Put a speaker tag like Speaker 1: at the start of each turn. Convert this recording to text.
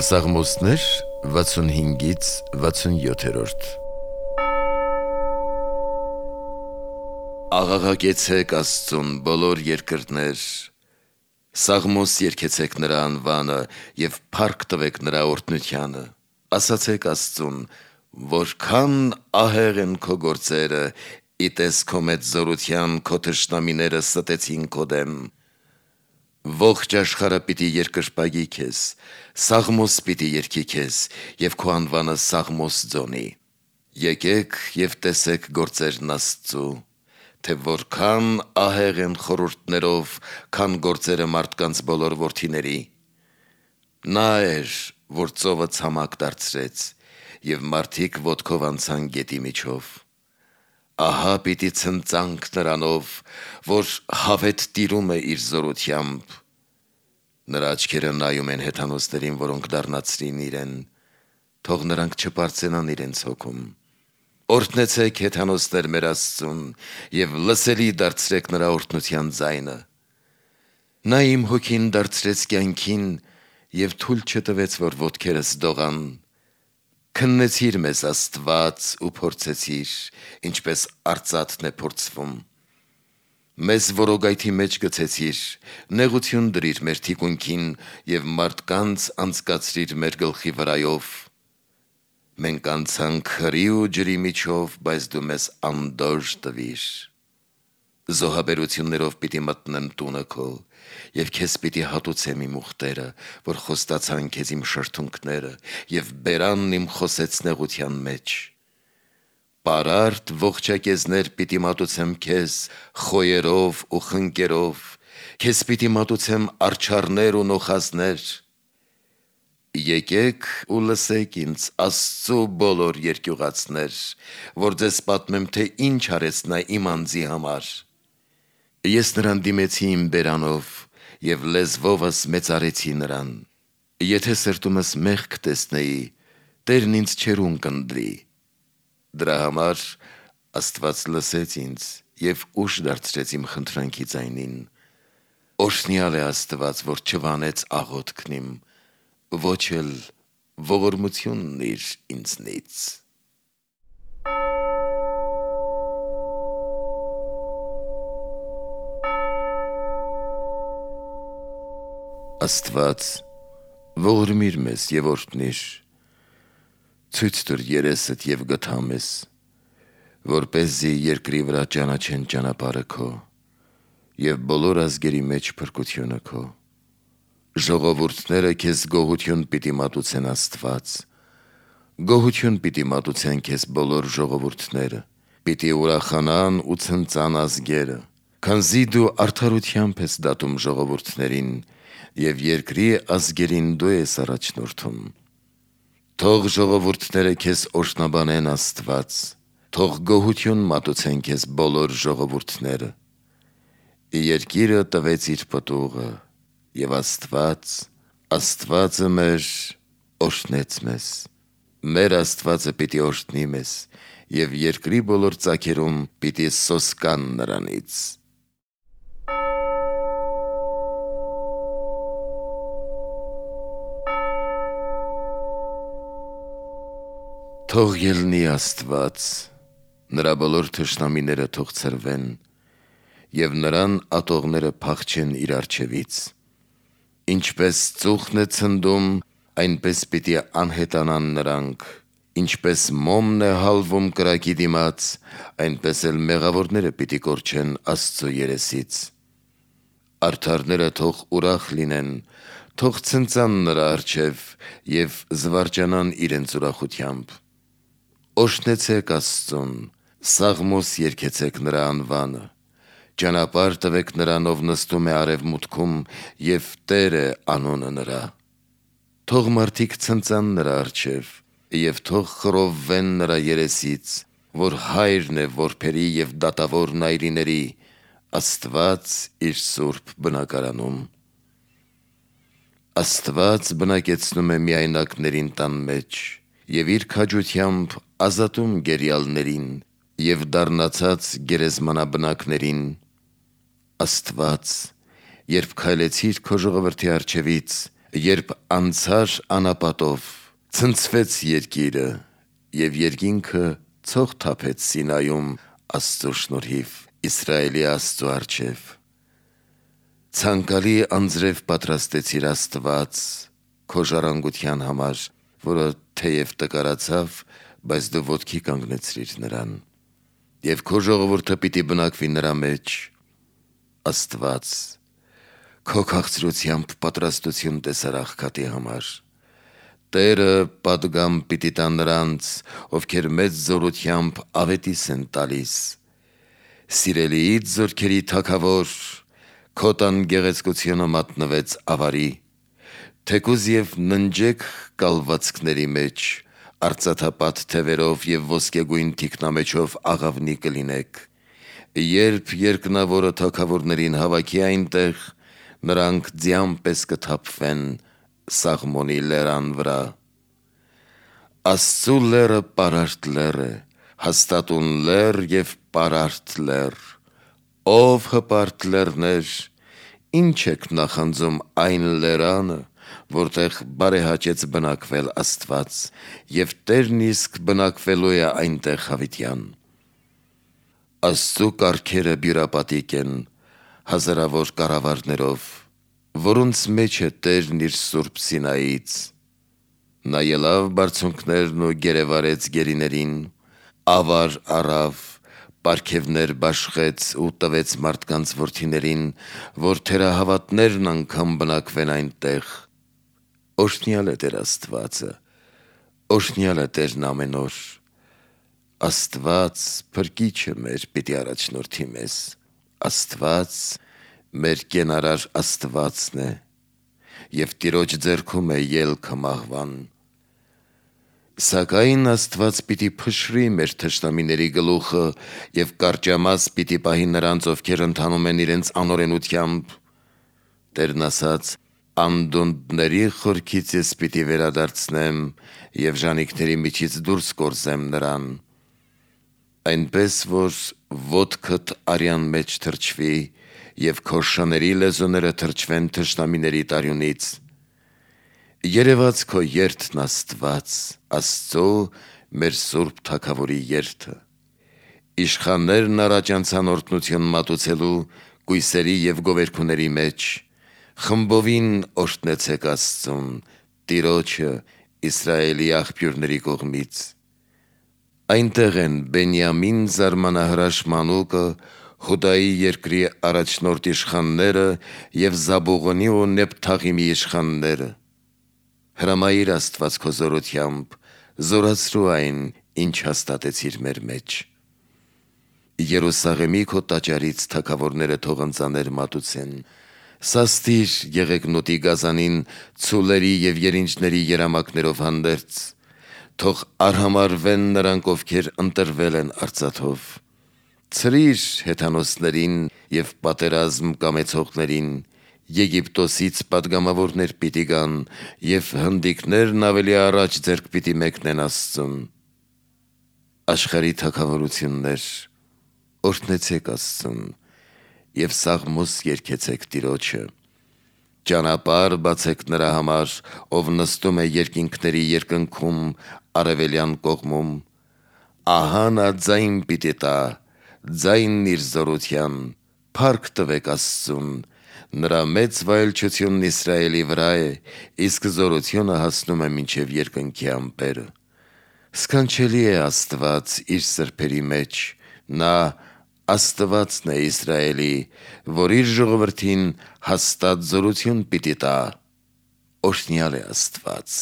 Speaker 1: Պսաղմոսներ 65-ից 67-րդ Աղաղակեցեք Աստծուն բոլոր երկրներ, սաղմոս երգեցեք նրա անվանը և փառք տվեք նրա օրհնությանը, ասացեք Աստծուն, որքան ահեղ են քո գործերը, ի տես քո մեծ զորության քո թշնամիները ստեցին քո դեմ, ողջ աշխարհը պիտի երկրպագի քեզ, սաղմոս պիտի երգի քեզ և քո անվանը սաղմոս ձոնի, եկեք և տեսեք գործերն Աստծու, թե որքան ահեղ են խորհուրդներով, քան գործերը մարդկանց բոլոր որդիների, նա էր, որ ծովը ցամաք դարձրեց և մարդիկ ոտքով անցան գետի միջով, ահա պիտի ցնծանք նրանով, որ հավետ տիրում է իր զորությամբ, նրա աչքերը նայում են հեթանոսներին, որոնք դառնացրին իրեն, թող նրանք չպարծենան իրենց հոգում, օրհնեցեք հեթանոսներ մեր Աստծուն և լսելի դարձրեք նրա օրհնության ձայնը, նա իմ հոգին դարձրեց կյանքին և թույլ չտվեց, որ ոտքերս դողան, քննեցիր մեզ Աստված ու փորձեցիր, ինչպես արծաթն է փորձվում, մեզ որոգայթի մեջ գցեցիր, նեղություն դրիր մեր թիկունքին և մարդկանց անցկացրիր մեր գլխի վրայով, մենք անցանք հրի ու ջրի միջով, բայց դու մեզ անդորր տվիր, զոհաբերություններով պիտի մտնեմ տունը քո և քեզ պիտի հատուցեմ իմ ուխտերը, որ խոստացան քեզ իմ շրթունքները և բերանն իմ խոսեց նեղության մեջ, պարարտ ողջակեզներ պիտի մատուցեմ քեզ խոյերով ու խնկերով, քեզ պիտի մատուցեմ արջառներ ու նոխազներ, եկեք ու լսեք ինձ Աստծու բոլոր երկյուղածներ, որ ձեզ պատմեմ, թե ինչ արեց նա իմ անձի համար, ես նրան դիմեցի իմ բերանով և լեզվովս մեծարեցի նրան, եթե սրտումս մեղք տեսնեի, Տերն ինձ չէր ունկնդրի, դրա համար Աստված լսեց ինձ և ուշ դարձրեց իմ խնդրանքի ձայնին, օրհնյալ է Աստված, որ չվանեց աղոթքն իմ, ոչ էլ ողորմությունն իր ինձնից. Աստված, ողորմիր մեզ և օրհնիր, ցույց տուր երեսդ և գթա մեզ, որպեսզի երկրի վրա ճանաչեն ճանապարհը քո և բոլոր ազգերի մեջ փրկությունը քո, ժողովուրդները քեզ գոհություն պիտի մատուցեն Աստված, գոհություն պիտի մատուցեն քեզ բոլոր ժողովուրդները, պիտի ուրախանան ու ցնծան ազգերը, քանզի դու արդարությամբ ես դատում ժողովուրդներին և երկրի ազգերին դու ես առաջնորդում, թող ժողովուրդները քեզ օրհնաբանեն Աստված, թող գոհություն մատուցեն քեզ բոլոր ժողովուրդները, երկիրը տվեց իր պտուղը և Աստված, Աստվածը մեր օրհնեց մեզ, մեր Աստվածը պիտի օրհնի մեզ և երկրի բոլոր ծագերում պիտի սոսկան նրանից. Թող ելնի Աստված, նրա բոլոր թշնամիները թող ցրվեն և նրան ատողները փախչեն իր առջևից, ինչպես ծուխն է ցնդում, այնպես պիտի անհետանան նրանք, ինչպես մոմն է հալվում կրակի դիմաց, այնպես էլ մեղավորները պիտի կորչեն Աստծու երեսից, արդարները թող ուրախ լինեն, թող ցնծան նրա առջև և զվարճանան իրենց ուրախությամբ, օրհնեցեք Աստծուն, սաղմոս երգեցեք նրա անվանը, ճանապարհ տվեք նրան, ով նստում է արևմուտքում և Տեր է անունը նրա, թող մարդիկ ցնծան նրա առջև և թող խռովվեն նրա երեսից, որ Հայրն է որբերի և դատավոր այրիների, Աստված իր սուրբ բնակարանում, Աստված բնակեցնում է միայնակներին տան մեջ և իր քաջությամբ ազատում գերիալներին և դառնացած գերեզմանաբնակներին Աստված, երբ քայլեցիր քո ժողովրդի առջևից, երբ անցար անապատով, ցնցվեց երկիրը, եւ երկինքը ցող թափեց Սինայում Աստծո շնորհիվ, Իսրայելի Աստծո առջև։ Ցանկալի անձրև պատրաստեցիր Աստված քո ժառանգության համար, որը թեև տկարացավ, բայց դու ոտքի կանգնեցրիր նրան, եւ քո ժողովուրդը պիտի բնակվի նրա մեջ։ Աստված, քո քաղցրությամբ պատրաստություն տեսար աղքատի համար։ Տերը պատգամ պիտի տա նրանց, ովքեր մեծ զորությամբ ավետիս են տալիս։ Սիրելիից զորքերի թագավոր, քո տան գեղեցկությունը մատնվեց ավարի, թեկուզ եւ ննջեք կալվածքների մեջ, արծաթապատ թևերով եւ ոսկեգույն թիկնամեջով աղավնի կլինեք։ Երբ երկնավորը թագավորներին հավաքի այնտեղ, նրանք ձյան պես կթափվեն Սաղմոնի լերան վրա։ Աստծու լերը պարարտ լեր է, հաստատուն լեր եւ պարարտ լեր։ Ով հպարտ լերներ, ինչ եք նախանձում այն լերանը, որտեղ բարեհաճեց բնակվել Աստված, եւ Տերն իսկ բնակվելու է այնտեղ հավիտյան։ Աստծու կառքերը բյուրապատիկ են, հազարավոր կառավարներով, որոնց մեջ է Տերն իր սուրբ Սինայից։ Նա ելավ բարձունքներն ու գերեվարեց գերիներին, ավար առավ, պարգևներ բաշխեց ու տվեց մարդկանց որդիներին, որ թերահավատներն անգամ բնակվեն այնտեղ։ Օրհնյալ է Տեր Աստվածը, օրհնյալ է Տերն ամեն օր։ Աստված փրկիչը մեր պիտի առաջնորդի մեզ, Աստված մեր կենարար Աստվածն է, եւ Տիրոջ ձեռքում է ելքը մահվան։ Սակայն Աստված պիտի փշրի մեր թշնամիների գլուխը եւ կարճամաս պիտի պահի նրանց, ովքեր ընթանում են իրենց անօրենությամբ։ Տերն ասաց. անդունդների խորքից ես պիտի վերադարձնեմ եւ ժանիքների միջից դուրս կորզեմ նրան, այնպես որ ոտքդ արյան մեջ թրջվի եւ քո շների լեզուները թրջվեն թշնամիների տարյունից։ Երևաց քո երթն Աստված, Աստծո մեր Սուրբ Թագավորի երթը։ Իշխաններն առաջ անցան օրհնություն մատուցելու կույսերի եւ գովերքուների մեջ, խմբովին օրհնեցեք Աստծուն, Տիրոջը, Իսրայելի աղբյուրների կողմից։ Այնտեղ են Բենյամին զարմանահրաշ մանուկը, Հուդայի երկրի առաջնորդ իշխանները եւ Զաբուղոնի ու Նեփթաղիմի իշխանները։ Հրամայիր Աստված քո զորությամբ, զորացրու այն, ինչ հաստատեցիր մեր մեջ։ Երուսաղեմի քո տաճարից թագավորները թող ընծաներ մատուցեն, սաստիր եղեգնուտի գազանին ցուլերի եւ երինջների երամակներով հանդերձ, թող արհամարվեն նրանք, ովքեր ընտրվել են արծաթով։ Ցրիր հեթանոսներին եւ պատերազմ կամեցողներին, Եգիպտոսից պատգամավորներ պիտի գան եւ հնդիկներն ավելի առաջ ձեռք պիտի մեկնեն Աստծուն։ Աշխարհի թագավորություններ, օրհնեցեք Աստծուն եւ սաղմոս երգեցեք Տիրոջը։ Ճանապարհ բացեք նրա համար, ով նստում է երկինքների երկնքում արևելյան կողմում։ Ահա նա ձայն պիտի տա, ձայնն իր զորության, փառք տվեք Աստծուն, նրա մեծ վայելչությունն Իսրայելի վրա է, իսկ զորությունը հասնում է մինչև երկնքի ամպերը։ Սքանչելի է Աստված իր սրբերի մեջ, նա Աստվածն է Իսրայելի, որ իր ժողովրդին հաստատ զորություն պիտի տա։ Օրհնյալ է Աստված։